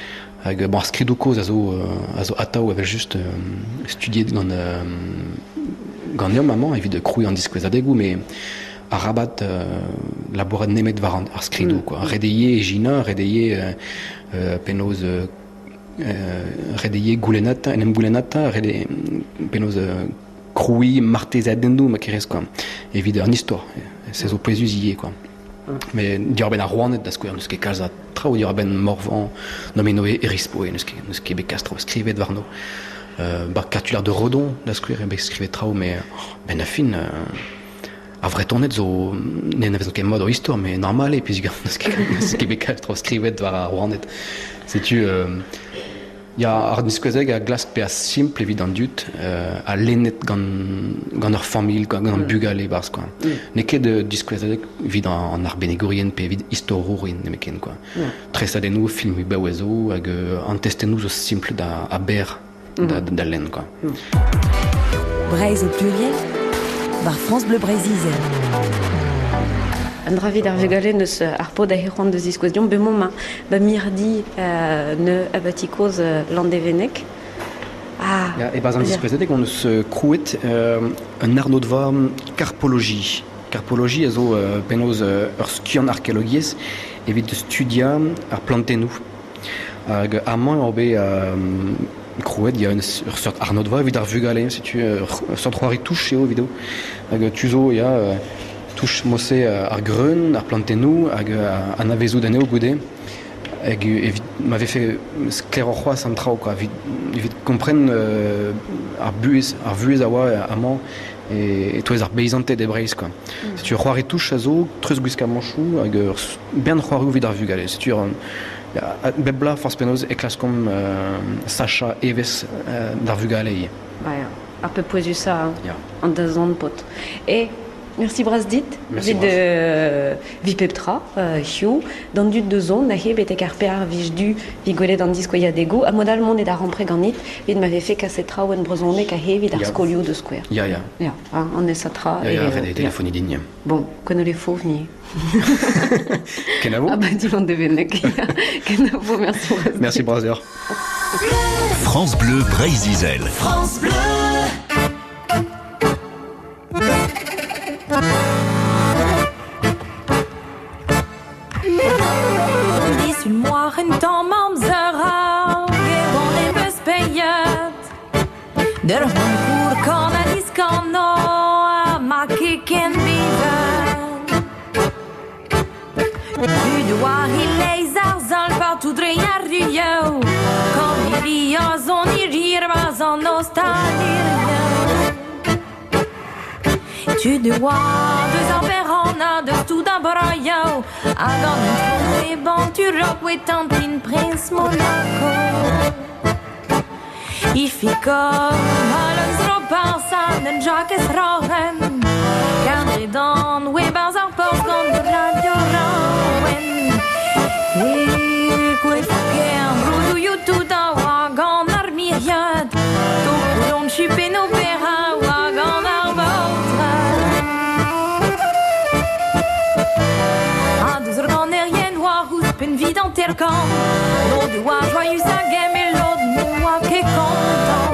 Speaker 1: Hag bon, ar skridoù kozh a zo a zo atav evel-just studiet gant ganeomp amañ evit krouiñ an diskouezadegoù, met arabat labourat nemet war ar skridoù quoi. Ret eo ivez ijinañ, ret eo ivez penaos ret eo ivez goulennata, en em goulennata, ret eo penaos krouiñ martezeadennoù ma kerez quoi, evit an istor. Se zo pouezus ivez quoi. Mais diwar-benn ar rouaned da skouer n'eus ket kalz a traoù diwar-benn Morvan, Nominoe, Erispoe, n'eus ket n'eus ket bet kalz traoù skrivet warno. Ba Cartulaire de Redon da skouer eo bet skrivet traoù mais benn ar fin ar Vretoned zo n'anavezont ket mat o istor met normal eo peogwir n'eus ket n'eus ket bet kalz traoù skrivet war ar rouaned. Setu ya ar diskouezadeg a glask bezañ simpl evit an dud ha lennet gant gant ur familh gant an bugale e-barzh quoi. N'eo ket diskouezadeg evit an arbennigourien pe evit istorourien nemetken quoi. Tresadennoù, filmoù bev zo hag an testennoù zo simpl da ha berr da, da lenn quoi.
Speaker 3: Breizh au pluriel war France Bleu Breizh-Izel.
Speaker 2: An dra evit ar vugale neus ar paotr a c'hoant da ziskouez deomp bemañ ma ba mirdi ne abati kozh Landevenneg.
Speaker 1: Ah, ya, e-barzh an diskouezadeg hon eus krouet un arnodva karpologie. Karpologie a zo penaos ur skiant arkeologiezh evit studiañ ar plantennoù. Hag amañ eo bet krouet ya, ur seurt arnodva evit ar vugale. Setu ur seurt c'hoari touch eo evit Hag tu zo ya, touch mose ar greun, ar plantennoù hag anavezout anezho goude. Hag evit ma vefe sklaeroc'h c'hoazh an traoù quoi, evit, evit kompren ar buhez, ar vuhez a oa amañ e-touez ar beizanted e Breizh quoi. Setu ur c'hoari touch a zo, treuzgwiskamanchoù hag ur bern c'hoarioù evit ar vugale. Setu bep bloaz forzh penaos e klaskomp sachañ evezh d'ar vugale ivez.
Speaker 2: Ba ya, ar pep pouezusañ an dazont paotr. E merci bras dit
Speaker 1: Merci
Speaker 2: evit evit pep tra hiziv. D'an dud da zont neuze betek ar pear vij du evit gwelet an diskouezadegoù ha mod all mont da rampre ganit evit ma vefe kaset traoù en brezhoneg aze evit ar skolioù da skouer.
Speaker 1: Ya, ya.
Speaker 2: Ya, an aesañ tra.
Speaker 1: Ya, ya, ret eo telefoniñ din, ya.
Speaker 2: Bon, kono le fauve ni.
Speaker 1: Kenavo.
Speaker 2: Ah bah dis Landevenneg. Kenavo, merci bras.
Speaker 1: Merci bras deoc'h.
Speaker 4: France Bleu Breizh-Izel.
Speaker 3: France Bleu.
Speaker 5: Disul tamm amzer hag e oan em-eus peiet D'ur c'honkour kan ha diskanañ ha ma ket ken bihan Tud oa e-leizh ar sal partout dre ar ruioù Kaniri a soniri 'barzh an ostalirioù Tud oa deus ar berranna deus tout ar broioù Hag an itron e banturok oe tantin priñs Monaco Ifikor Halens roparsan en Jakez Roren Kardredan oe 'barzh ar porzh gant radio Raouen E koef-kern broudoù tout a oa gant ar miriad Tokoulon chupenno pera oa gant ar baotred Ha deus ur ganerien oa ouzhpenn 'vit hanter-kant Lod e oa joaius hag e lod ne oa ket kontant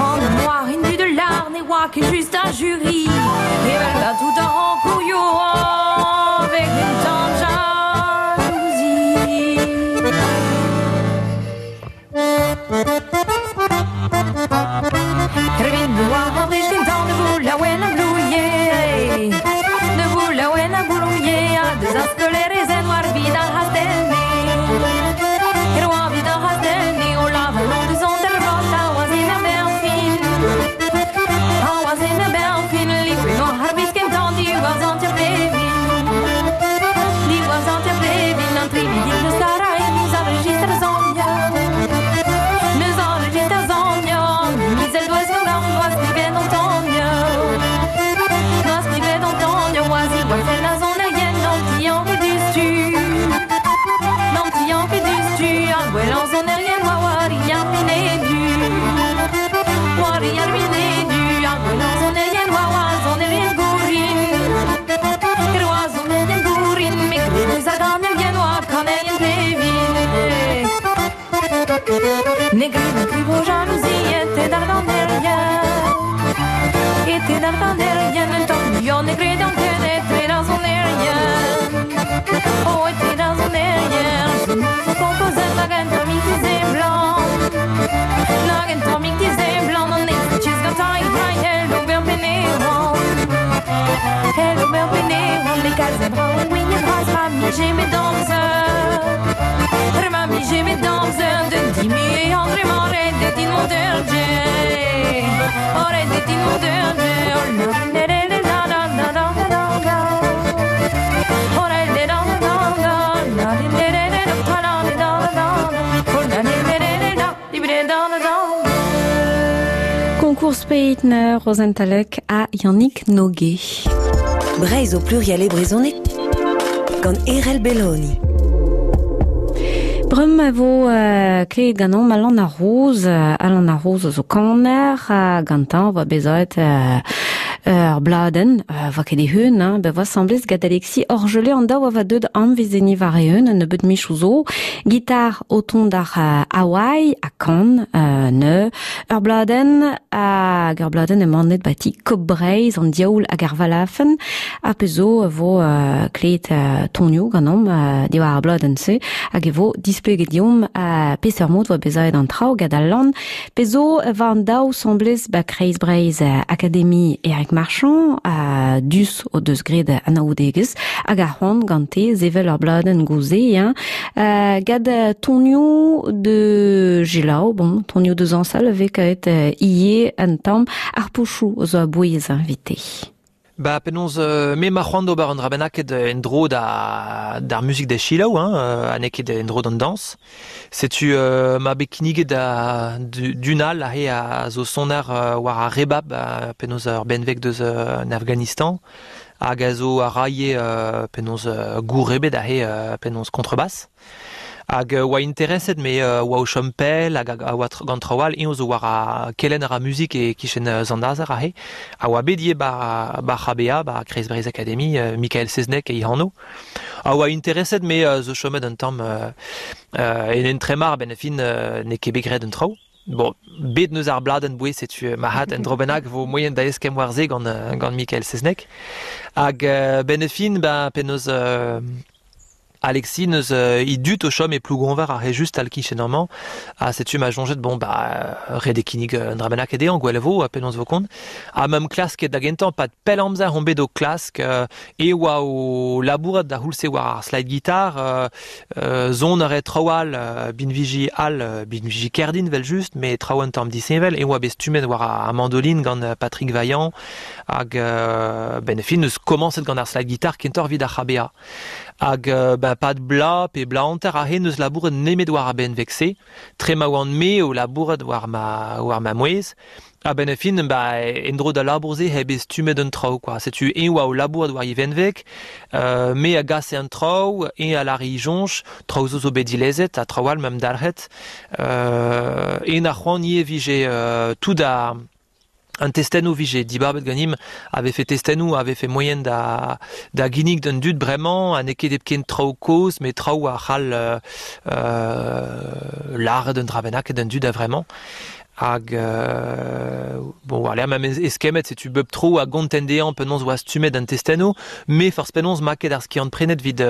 Speaker 5: An noir indu de l'art ne oa ket just ar jury Evel da tout ar rankourioù avec une tamm jalousie Krevit boa ar wech kentañ ne vo laouen a blouie Ne vo laouen a blouie ha deus ar skolaerez en war vid ar c'hastell-nevez Ne gri vo jalousie et d'ar ganerien. Et d'ar ganerien, un tamm muioc'h ne gredan ket etre ar sonerien. Oh, etre ar sonerien, zo kompozet nag un tammig dizeblant. Nag un tammig dizeblant, an ez tez gantañ e hell ober pene oan. Hell ober pene oan, me kalz a dra ouien bras ma mije met amzer. Ma mije met amzer, de dimi e André Maret, de din mont ur Ret din mont ur Oh, la la la la la la la la la. Oh, la la la la la la la la la la la la la la. Oh, la la la la la la la la.
Speaker 2: Concours Peitner, Rosentalek ha Yannick Noguet.
Speaker 3: Breizh o pluriel e brezhoneg gant Erel Belloni.
Speaker 2: Bremañ e vo klevet ganeomp Alan ar Roz. Alan ar Roz zo kaner, ha gantañ 'oa bezaet ur bladenn, 'voa ket e-hun, hein, bet 'voa asambles gant Alexis Orgelet an daou a oa deuet amvezenniñ war-eeun un nebeud michoù zo. Gitar o tont d'ar Hawaii ha kan neuze. Ur bladenn hag ur bladenn emanet 'ba ti Coop Breizh, an diaoul hag ar valafenn. Ha pezh zo e vo klevet tonioù ganeomp diwar ar bladenn-se hag e vo displeget deomp peseurt mod 'oa bezaet an traoù gant al lann. Pezh zo e va an daou 'sambles 'ba Kreiz Breizh Akademi Eric Marchand ha dus o deus graet anaoudegezh hag ar c'hoant gante sevel ur bladenn gouze hein. Gant tonioù de Gelaou, bon, tonioù de zañsal a vez kavet ivez un tamm ar pochoù zo a-bouez evite.
Speaker 6: Ba penaos me 'ma c'hoant d'ober un dra bennaket en-dro da d'ar muzik da selaou hein, ha n'eo ket en-dro d'an dañs. Setu 'ma bet kinniget da d'un all aze a zo soner war ar rebab penaos ur benveg deus an Afghanistan hag a zo a raie penaos gourrebet aze penaos contrebasse. Hag oa intereset me oa o chom pell hag a oa gant traoù all, eñ zo war ar kelenn a ra muzik e-kichen Sant-Nazer aze, a oa bet ivez 'ba 'ba c'HBA, 'ba Kreiz Breizh Akademi, Mikael Seznec e anv. A oa intereset me zo chomet un tamm en entremar a-benn ar fin n'eo ket bet graet an traoù. Bon, bet 'neus ar bladenn bouez, setu marc'had un dro bennak 'vo moaien da eskemm war se gant gant Mikael Seznec. Hag 'benn ar fin, ben penaos Alexis 'neus e dud o chom e Plougonver ar re just tal-kichen amañ ha setu ma soñjet bon bah ret eo kinnig un dra bennaket dezhañ gwell e vo ha penaos 'vo kont. Ha meump klasket da gentañ 'pad pell amzer on bet o klask e oa o labourat da c'houlz-se war ar slide guitar son a rae traoù all binviji all binviji kerdin 'vel-just met traoù un tamm disheñvel e oa bet stummet war ar mandoline gant Patrick Vaillant hag 'benn ar fin 'neus komañset gant ar slide guitar kentoc'h 'vit ar c'HBA. Hag ben 'pad bloaz pe bloaz hanter aze n'eus labouret nemet war ar benveg-se, tre ma oan-me o labourat war ma war ma mouezh. A-benn ar fin ba en-dro d'al labour-se eo bet stummet an traoù kwa. Setu eñ oa o labourat war e venveg, me a gase an traoù, eñ a lâre e soñj, traoù zo zo bet dilezet ha traoù all 'meump dalc'het. Eñ a c'hoant ivez 'vije tout ar An testennoù 'vije dibabet ganimp a vefe testennoù a vefe moaien da da ginnig d'an dud bremañ ha n'eo ket hepken traoù kozh met traoù a c'hall lâret un dra bennaket d'an dud a-vremañ. Hag bon war-lerc'h ma 'm eskemmet setu bep tro a gonten dezhañ penaos 'oa stummet an testennoù me forzh penaos 'ma ket ar skiant-prenet 'vit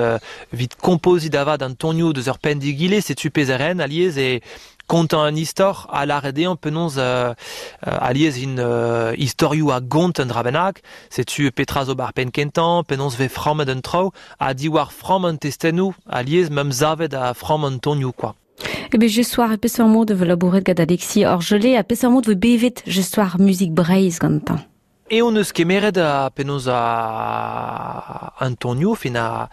Speaker 6: 'vit kompoziñ da vat an tonioù deus ur penn d'egile setu pezh a ren alies e Kontañ un istor ha lâret dezhañ penaos alies int istorioù a gont un dra bennak, setu petra zo 'bar penn kentañ, penaos 'vez frammet an traoù, ha diwar framm an testennoù alies 'meump savet a framm an tonioù kwa.
Speaker 2: E bet just soir e peseurt mod e vo labouret gant Alexis Orgelet ha peseurt mod e vo bevet just soir muzik Breizh gantañ?
Speaker 6: Eo 'neus kemeret penaos an tonioù fin a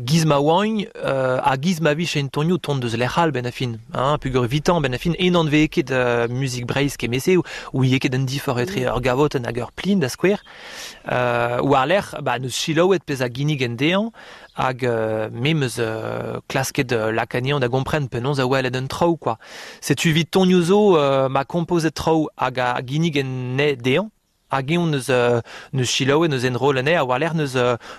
Speaker 6: giz ma oagn ha giz ma vije en tonioù tont deus lec'h all 'benn ar fin hein peogwir evitañ 'benn ar fin en anveze ket muzik Breizh kement-se ouie ket an diforc'h etre ur gavotenn hag ur plin da skouer. War-lerc'h ba 'neus selaouet pezh a ginnigen dezhañ Hag me 'm eus klasket lakaat anezhañ da gompren penaos a welet an traoù kwa. Setu evit tonioù zo ma kompozet traoù hag a ginnig anezhe dezhañ. Hag eñ neus neus selaouet, neus enrollet anezhe, ha war-lerc'h neus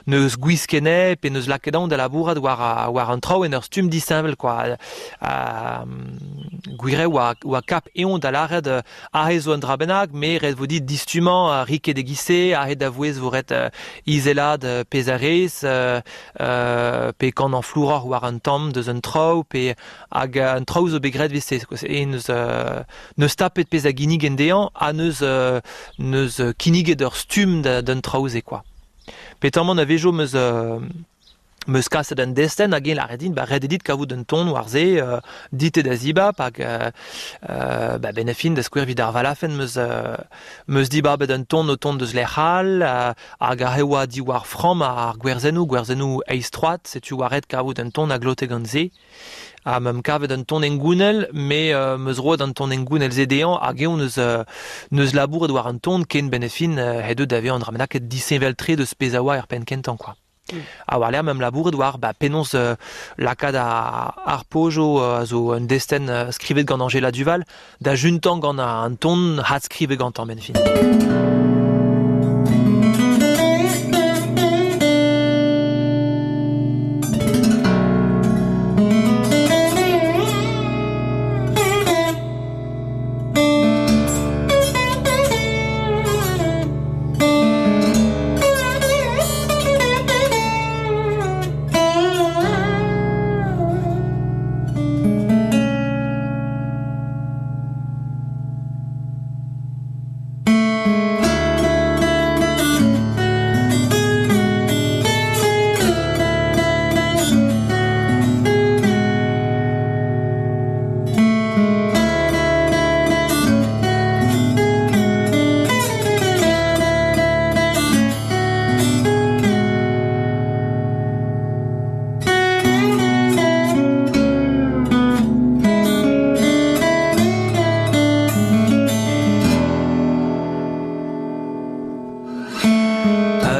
Speaker 6: neus gwisket anezhe pe neus lakaet anv da labourat war war an traoù en ur stumm disheñvel kwa. Gwir eo oa oa kap eñ da lâret aze zo un dra bennak, me ret vo dit distummañ ri ket e-giz-se, aze da vouezh vo ret izelaat pezh a rez, pe kanañ flouroc'h war un tamm deus un traoù, pe hag an traoù zo bet graet 'vit-se e neus neus tapet pezh a ginnigen dezhañ ha neus neus kinniget ur stumm d'un traoù-se kwa. Petamant a-wezhioù 'm eus 'm eus kaset un destenn hag eñ lâret din ba ret eo dit kavout un ton war se dit eo da zibab hag ba benn ar fin da skouer evit ar valafenn 'm eus 'm eus dibabet un ton o tont deus lec'h all hag aze oa diwar framm ar gwerzennoù, gwerzennoù eizh troad, setu oa ret kavout un ton a glote gant se. Ha 'm kavet un ton hengounel, me 'm eus roet an ton hengounel-se dezhañ hag eñ 'neus 'neus labouret war an ton ken benn ar fin he deut da vezañ un dra bennaket disheñvel-tre deus pezh a oa er penn kentañ kwa. Ha war-lerc'h 'm labouret war ba penaos lakaat ar pojo a zo un destenn skrivet gant Anjela Duval da juntañ gant an ton hadskrivet gantañ benn fin.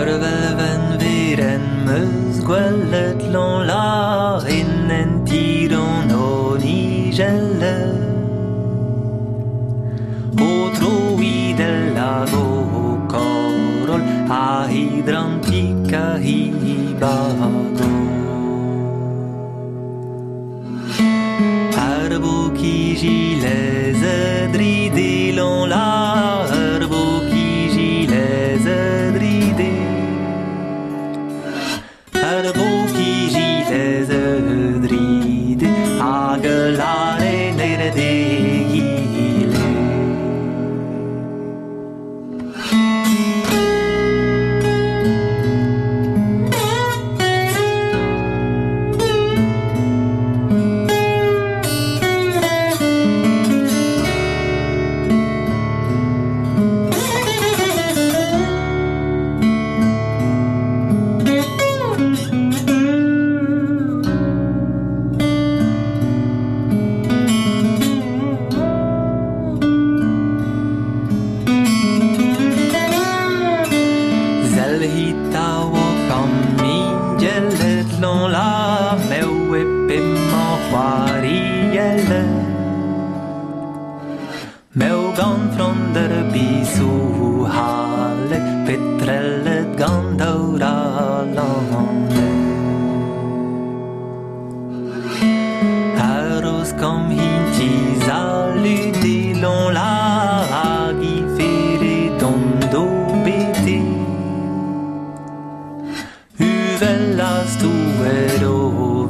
Speaker 6: Ur velvenn verenn 'm eus gwelet Lanlarin en tiron o nijell O troidell hag o koroll a hidrantik a hibago Ar bokijilez dride la Ar bokijilez dride Ar bokijilez dride hag lare nere d'egile. Sell hit a o kammigelled lan la mew e p'emañ c'hoariellet Mew gant fronder bizoù halet petrellet gant daouralaned Aros kam hinti salut la hag i fere dont bete Uvel a stouet o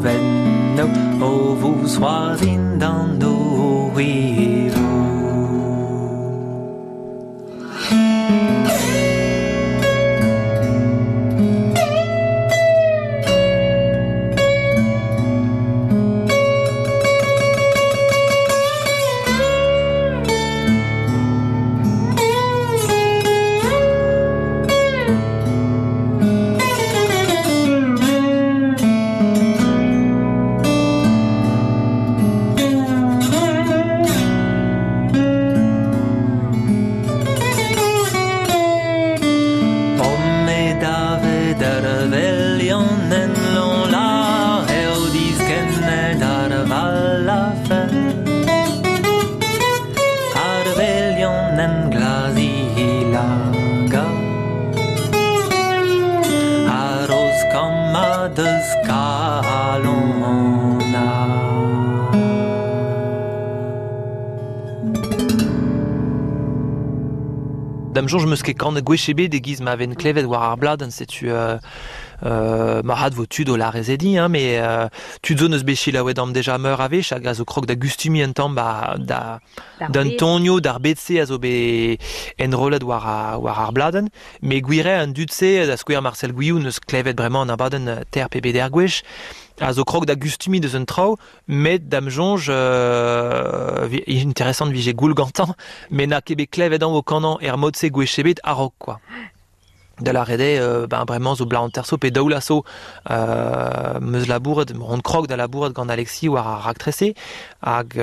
Speaker 6: venno o vousc'hoarzhin d'an oeroù. Da'm soñj 'meus ket kanet gwech ebet e-giz ma ven klevet war ar bladenn, setu marc'had 'vo tud o lârez edi, hein, met tud zo 'neus bet selaouet amp deja meur a wech hag a zo krog da gustumiñ un tamm ba da d'an tonioù, d'ar bed-se a zo bet enrollet war ar, war ar bladenn. Met gwir eo an dud-se, da skouer Marcel Gwilhou 'neus klevet bremañ an abadenn ter pe beder gwech, a zo krog da gustumiñ deus an traoù, Met da'm soñj interesant 'vije goul gantañ, met n'a ket bet klevet anv o kanañ er mod-se gwech ebet a-raok quoi. Da lâret eo, ben bremañ zo bloaz hanter zo pe daou vloaz zo 'm eus labouret, on krog da labourat gant Alexis war ar raktres-se hag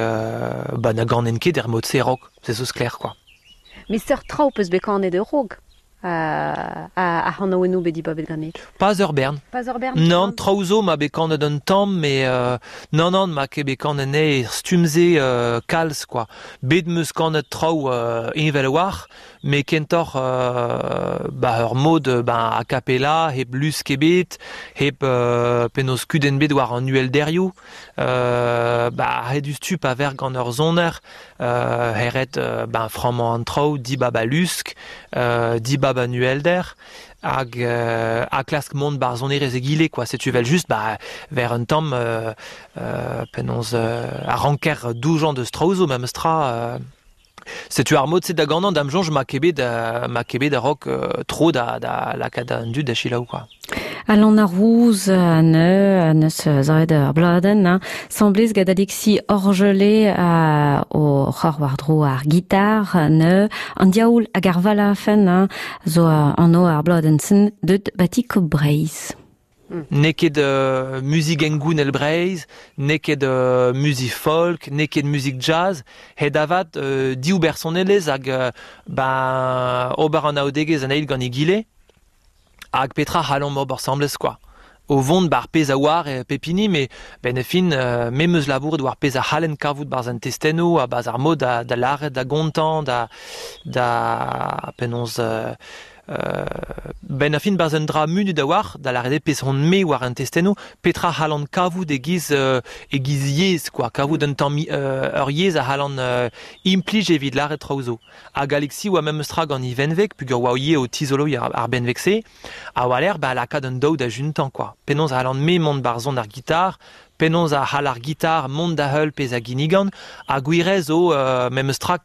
Speaker 6: ben na ganen ket er mod-se a-raok, se zo sklaer quoi.
Speaker 2: Met seurt traoù 'peus bet kanet a-raok? Ar c'hanaouennoù bet dibabet ganit?
Speaker 6: Pas ur bern.
Speaker 2: Pas ur bern?
Speaker 6: Nann, traoù zo ma bet kanet un tamm, mais nann, nann, ma ket bet kanet anezhe er stumm-se kalz, quoi. Bet 'm eus kanet traoù heñvel a-walc'h, met kentoc'h ba ur mod ben a cappella, hep lusk ebet, hep penaos kudenn bet war an uhelderioù. Ba a-hed-ustu pa ver gant ur soner, hêred ben frammañ an traoù, dibab al lusk, dibab an uhelder hag ha klask mont ba'r sonerezh egile quoi. Setu evel-just ba ver un tamm penaos a ranker doujañ deus traoù zo memes tra. Setu ar mod-se da ganañ da'm soñj 'ma ket bet 'ma ket bet a-raok tro da da lakaat an dud da selaou quoi.
Speaker 2: Alan ar Rouz neus zaet ar bladenn, hein. Semblez gant Alexis Orgelet o c'hor war-dro ar gitar, neu an diaoul hag ar valafen, hein, zo anv ar bladenn-sen deut batik Breizh.
Speaker 6: N'eo ket muzik hengounel Breizh, n'eo ket muzik folk, n'eo ket muzik jazz, het avat div bersonelezh hag ben ober anaoudegezh an eil gant egile hag petra c'hallomp ober asambles quoi. O vont 'ba ar pezh a oar pep hini met 'benn ar fin me 'm eus labouret war pezh a c'hallen kavout 'barzh an testennoù ha 'barzh ar mod da lâret, da gontañ, da da penaos 'benn ar fin 'barzh un dra munut a-walc'h, da lâret eo pezh on-me war an testennoù, petra c'hallan kavout e-giz e-giz yezh quoi, kavout un tamm ur yezh a c'hallan implij evit lâret traoù zo. Hag Alexis oa memes tra gant e venveg, peogwir oa ivez o tizoloiñ ar benveg-se, ha war-lerc'h ba lakaat an daou da juntañ quoi. Penaos a c'hallan-me mont 'barzh son ar gitar, penaos a c'hall ar gitar mont da heul pezh a ginnigan, ha gwir eo zo memes tra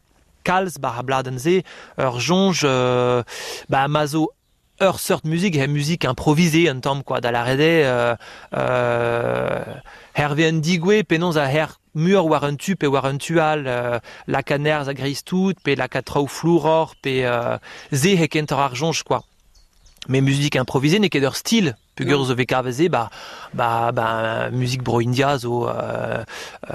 Speaker 6: kalz 'ba ar bladenn-se ur soñj ba ma zo ur seurt muzik he muzik improvisée un tamm quoi da lâret eo hervez un digouez penaos a her muioc'h war un tu pe war un tu all lakaat nerzh a-greiz-tout pe lakaat traoù flouroc'h pe se eo kentoc'h ar soñj quoi. Mais musique improvisée n'eo ket ur stil Peogwir zo vez kavet se ba ba ba muzik bro-India zo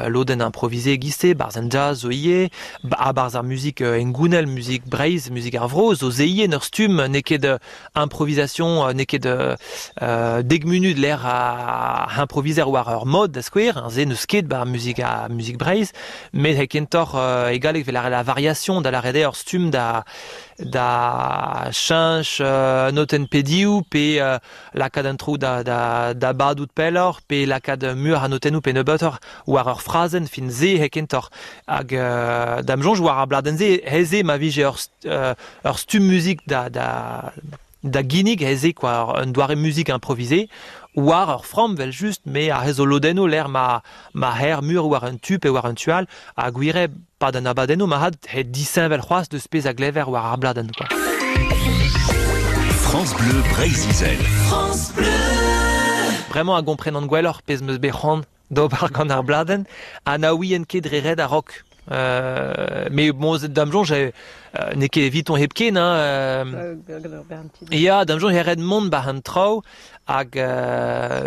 Speaker 6: lodenn improvisée e-giz-se, 'barzh an jazz zo ivez, ha 'barzh ar muzik hengounel, muzik Breizh, muzik ar vro zo se ivez en ur stumm, n'eo ket improvisation, n'eo ket dek munut lec'h a improviser war ur mod da skouer, se n'eus ket 'ba muzik ar muzik Breizh, met kentoc'h e galleg 'vel la variation da lâret eo ur stumm da da cheñch notenn pedioù pe lakaat an traoù da, da, da badout pelloc'h pe lakaat muioc'h a notennoù pe nebeutoc'h war ur frazenn fin se eo kentoc'h. Hag da'm soñj war ar bladenn-se aes ma vije ur, ur stumm muzik da, da, da ginnig aes quoi, un doare muzik improvisé war ur framm 'vel-just, me a zo lodennoù lec'h ma, ma her mur war un tu pe war un tu all ha gwir eo 'pad an abadennoù marc'had he disheñvel c'hoazh deus pezh a glever war ar bladenn quoi.
Speaker 4: France Bleu Breizh-Izel. France Bleu.
Speaker 6: Bremañ a gomprenan gwelloc'h pezh 'm eus bet c'hoant d'ober gant ar bladenn ha na ouien ket dre ret a-raok. Mais bon, da'm soñj n'eo ket eviton hepken hein. Ya, da'm soñj e ret mont 'ba an traoù hag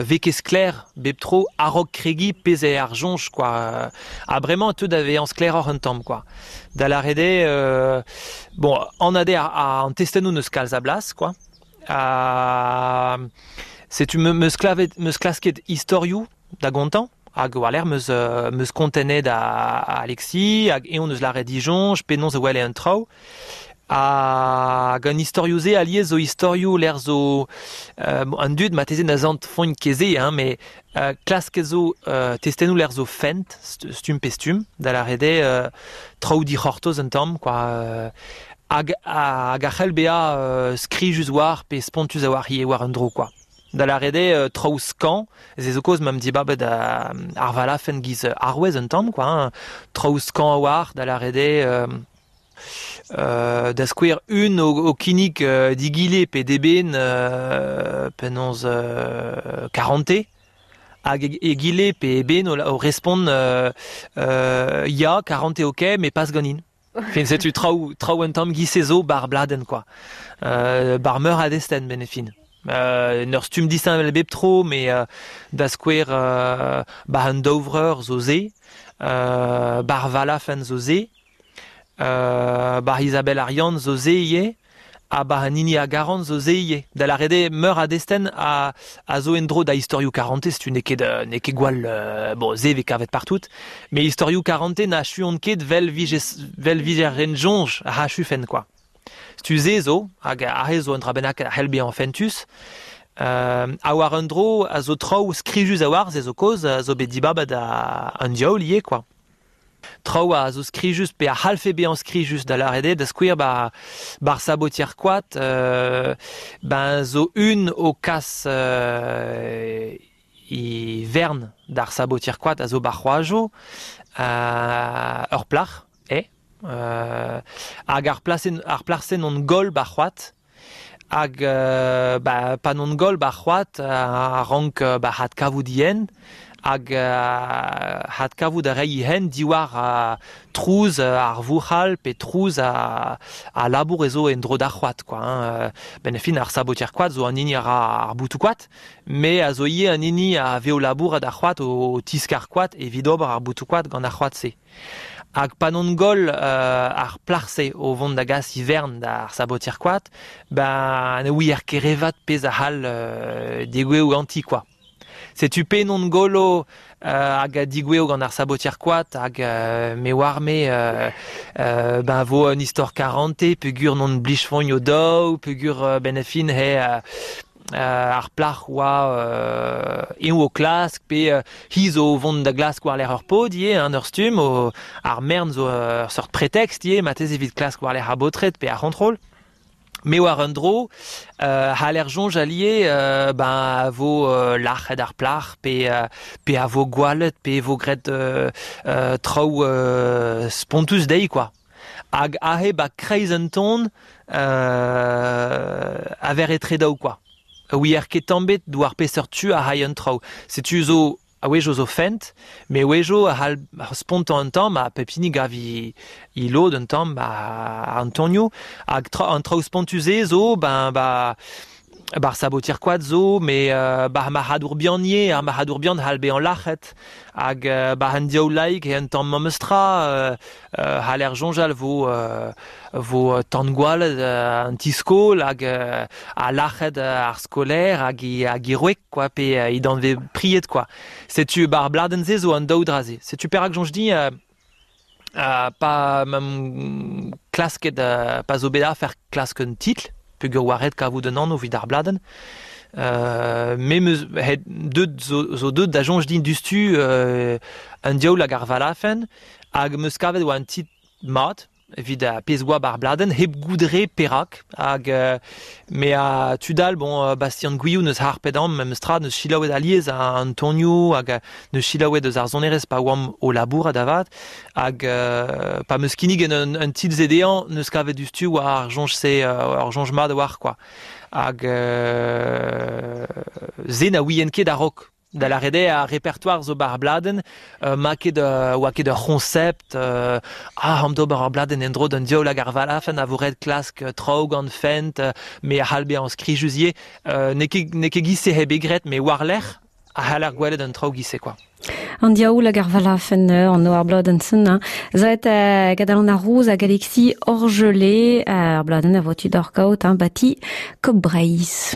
Speaker 6: vez ket sklaer bep tro a-raok kregiñ pezh eo ar soñj quoi. Ha bremañ e teu da vezañ sklaeroc'h un tamm quoi. Da lâret eo, bon, anat eo an testennoù n'eus kalz a blas quoi. Ha setu 'm eus klavet 'm eus klasket istorioù da gontañ hag war-lerc'h 'm eus 'm eus kontennet a Alexis hag eñ 'neus lâret disoñj penaos e wele an traoù. Hag an istorioù-se alies zo istorioù lec'h zo an dud marteze na santfont ket se hein, met klasket zo testennoù lec'h zo fent stumm pe stumm, da lâret eo traoù dic'hortoz un tamm quoi. Hag, hag a c'hell bezañ skrijus war pe spontus a-walc'h ivez war un dro quoi. Da lâret eo traoù skañv, se zo kaoz ma 'm dibabet ar valafenn giz arouez un tamm quoi hein. Traoù skañv a-walc'h, da lâret eo da skouer un o kinnig digile pe d'eben penaos karante hag egile pe eben o respont ya karante ok met pas ganin. Fin setu traoù traoù un tamm giz-se zo 'bar bladenn quoi. 'Bar meur a destenn 'benn e fin. En ur stumm disheñvel bep tro met da skouer 'ba an daou vreur zo se, 'bar Valafenn zo se, 'bar Isabelle ar Yann zo se ivez. Ha ba an hini a garan zo se ivez. Da lâret eo meur a destenn a, a zo en-dro da istorioù karantez, tu n'eo ket, n'eo ket gwall... bon, se vez kavet partout, mais istorioù karantez n'achuont ket 'vel vije, 'vel vije ren soñj a achufen, quoi. Setu se zo, hag aze zo un dra bennak a c'hell bezañ fentus. Ha war un dro a zo traoù skrijus a-walc'h, se zo kaoz, a zo bet dibabet an diaoul ivez, quoi. Traoù a zo skrijus pe a c'hallfe bezañ skrijus da lâret eo da skouer ba bar sabotier koad ben zo un o kas e vern d'ar sabotier koad a zo bar c'hoajo ur plac'h eo hag ar plasenn ar plac'h-se n'on goll bar c'hoad hag ba pa n'on goll bar c'hoad a rank ba adkavout yen hag adkavout a ray hen diwar trouz ar vouc'hal pe trouz a labour ez zo en-dro d'ar c'hoad quoi hein. Benn ar fin ar sabotier koad zo an hini a ra ar boutoù-koad me a zo ivez an hini a vez o labourat ar c'hoad o tiskar koad evit ober ar boutoù-koad gant ar c'hoad-se. Hag pa n'on goll ar plac'h-se o vont da gas ivern d'ar sabotier koad, ben ne ouier ket re vat pezh a c'hall degouezhout ganti quoi. Setu pe n'on gollo hag a digouezho gant ar sabotier koad hag me oar-me ben vo un istor karante peogwir n'on blijfont o daou peogwir benn ar fin he ar plac'h oa eñ o klask pe hi zo o vont da glask war-lerc'h ur paotr ivez hein, ur stumm ar mern zo ur seurt pretext ivez marteze evit klask war-lerc'h ar baotred pe ar c'hontrol. Me war un dro c'haller soñjal ivez ben a vo lac'het ar plac'h pe pe a vo gwallet pe e vo graet traoù spontus dezhi quoi. Hag aze 'ba kreiz un ton a ver etre daou quoi. Ouier ket tamm 'bet war peseurt tu a ray an traoù. Setu zo A-wezhioù zo fent, met a-wezhioù a c'hall spontañ un tamm ha pep hini gav he lod un tamm a an tonioù. Hag an traoù spontus-se zo ben ba bar sabotier koad zo, met bar marc'hadour bihan ivez, ar marc'hadour bihan c'hall bezañ lac'het. Hag bar an diaoul laik eo un tamm memes tra. C'haller soñjal vo vo tan-gwallet an ti-skol hag ha lac'het ar skolaer hag he hag he wreg quoi pe he danvez pried quoi. Setu 'ba ar bladenn-se zo an daou dra-se. Setu perak soñj din pa 'm klasket pa zo bet afer klask un titl peogwir oa ret kavout un anv evit ar bladenn. Me 'm eus deut zo deut da soñj din diouzhtu an diaoul hag ar valafenn Hag 'm eus kavet oa un titl mat evit ar pezh oa 'ba ar bladenn hep goût re perak. Hag me ha tud all, bon, Bastien Gwilhou 'neus harpet amañ memes tra, 'neus selaouet alies an tonioù hag 'neus selaouet eus ar sonerezh pa oamp o labourat avat. Hag pa 'm eus kinniget un titl-se dezhañ 'neus kavet diouzhtu oa ar soñj-se, ar soñj mat a-walc'h quoi. Hag se na ouien ket a-raok. Da lâret eo ar repertoar zo 'ba ar bladenn, 'ma ket oa ket ur c'hoñsept ah an d'ober ur bladenn en-dro d'an diaoul hag ar valafenn a vo ret klask traoù gant fent, me a c'hall bezañ skrijus ivez. N'eo ket n'eo ket giz-se eo bet graet, met war-lerc'h a c'haller gwelet an traoù giz-se quoi.
Speaker 2: An diaoul hag ar valafenn an ar bladenn-sen hein. Zaet gant Alan ar Rouz hag Alexis Orgelet, ar bladenn a vo tu d'hor kaout hein, bati Kop Breizh.